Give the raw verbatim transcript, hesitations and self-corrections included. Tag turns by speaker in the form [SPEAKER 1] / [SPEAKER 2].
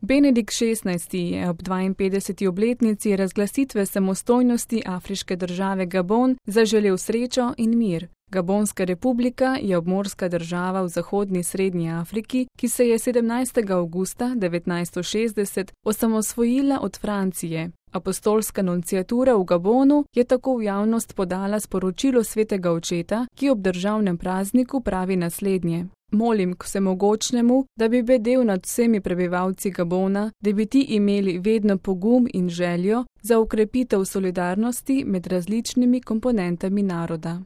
[SPEAKER 1] Benedikt šestnajsti je ob dvainpetdeseti obletnici razglasitve samostojnosti afriške države Gabon zaželel srečo in mir. Gabonska republika je obmorska država v zahodni Srednji Afriki, ki se je sedemnajstega avgusta devetnajststo šestdeset osamosvojila od Francije. Apostolska nunciatura v Gabonu je tako v javnost podala sporočilo svetega očeta, ki ob državnem prazniku pravi naslednje: Molim k vsemogočnemu, da bi bedel nad vsemi prebivalci Gabona, da bi ti imeli vedno pogum in željo za okrepitev solidarnosti med različnimi komponentami naroda.